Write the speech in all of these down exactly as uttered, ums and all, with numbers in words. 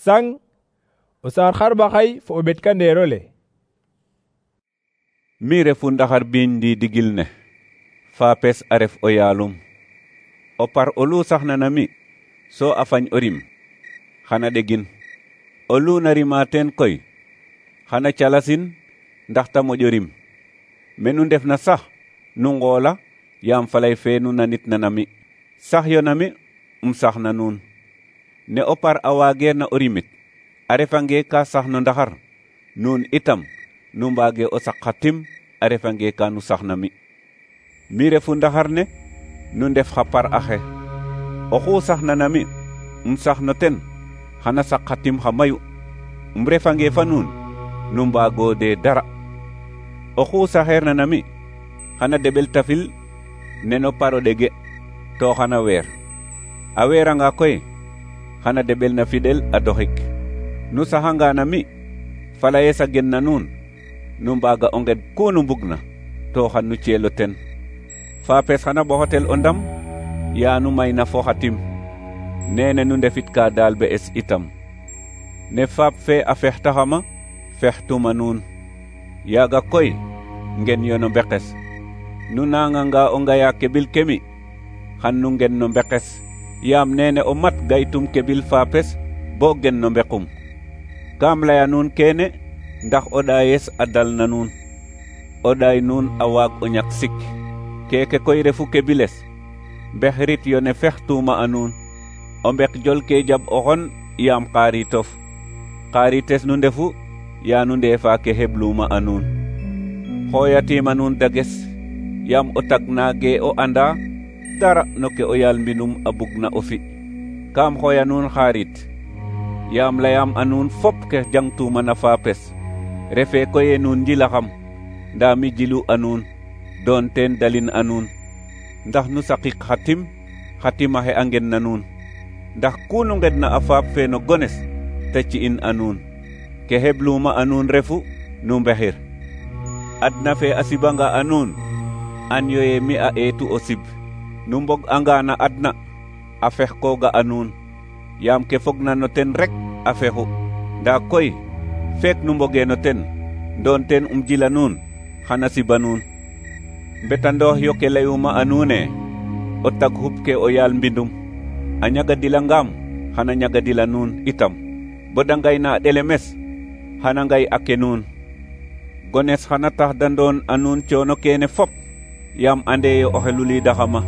Sang o saar xarɓaxay fo o ɓetkandeero le. Mi refu ndaxar biiñ ndi digil ne, faapes a ref o yaalum. O par olu saxna na mi, so a fañ o rim, xana ɗegin. Olu na rima teen koy, xana calasin ndax ta moƴo rim. Menu ndefna sax nu ngoola yaam falay fe nu nanitna na mi. Sax yo na mi, um sax na nuun. Ne o par a waageerna o rimit, a refange ka sax no ndaxar, nuun itam nu mbaage o saq xa tim a refange ka nu sax na mi. Mi refu ndaxar ne, nu ndef xa par axe. Oxu saxna na mi, um sax no ten, xana saq xa tim xa mayu. Um refange fa nuun, nu mbaago de dara. Oxu saxeerna na mi, xana deɓel tafil neno par o ɗege, to xana weer. A weeranga koy, xana deɓel na fiɗel a doxik. Nu saxanga na mi, falaye sa gen na nuun, nu mbaaga o nged ku nu mbugna, to xan nu cielo ten. Faapes xana ɓoxotel o ndam, yaa nu mayna fo xa tim. Nene nu ndefitka daal be es itam. Ne faap fe a fextaxama, fextuma nuun. Yaaga koy, ngen yo no mbekes. Nu nanganga o ngaya keɓil kemi, xan nu ngen no mbekes. Yaam nene o mat gaytum keɓil faapes, bo gen no mbekum. Kaam laya nuun kene, ndax o ɗaayes a dal na nuun. O ɗaay nuun a waag o ñak sik. Keke koy refu keɓiles, mbexrit yo ne fextuma a nuun. O mbek jol ke jaɓ oxon yaam xaaritof. Xaarites nu ndefu, yaa nu ndeefa ke heɓluma a nuun. Xooyatima nuun dages, yaam o tag naage o anda dara no ke o yaal mbinum a bugna o fi. Kaam xooya nuun xaarit, yaam layam a nuun fop ke jangtuma na faapes. Refe koye nuun njilaxam, ndaa mi jilu a nuun, doon teen dalin a nuun. Ndax nu saqik xa tim, xa timaxe a ngen na nuun. Ndax ku nu ngedna a faap fe no gones, te ci'in a nuun. Ke heɓluma a nuun refu, nu mbexir. Adna fe a sibanga a nuun, an yo ye mi a eetu o sib. Nu mbog anga na adna, a fex kooga a nuun. Yaam ke fogna no ten rek a fexu. Ndaa koy, feek nu mboge no ten, doon ten um jila nuun, xana siba nuun. Mbetandoox yo ke layuma a nuune, o tag xup ke o yaal mbindum. A ñagadilangaam, xana ñagadila nuun itam. Bo da ngay na a ɗelemes, xana ngay a ke nuun. Gones xana tax da ndoon a nuun coono kene fop, yaam ande yo oxe luliidaxama.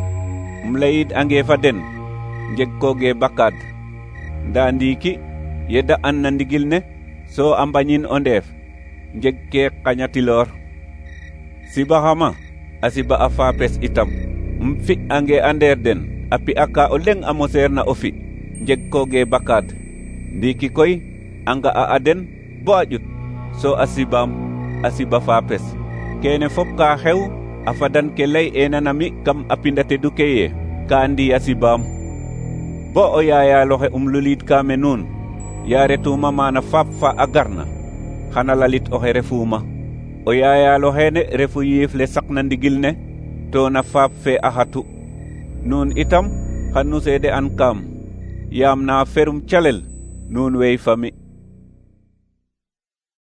Um layid ange fa den, njeg kooge bakaad. Ndaa ndiiki, yedda an na ndigil ne, so a mbañin o ndeef, njeg ke qañatiloor. Sibaxama, a siba a faapes itam. Um fi ange a ndeer den, a pi'a ka o leŋ a moseer na o fi, njeg kooge bakaad. Ndiiki koy, a nga'a a den bo a ƴut, so a sibaam, a siba faapes. Kene fop ka xew, a fadan ke lay ena na mi kam a pinda tedu ke ye, ka ndi a sibaam. Bo o yaayaloxe um luliid ka me nuun, yaa retuma maana faap fa a garna, xana lalit oxe refuma. O yaayaloxene refu yiif le saqna ndigil ne, to na faap fe a xatu. Nuun itam, xan nu seede an kaam, yaam na ferum calel, nuun wey fa mi.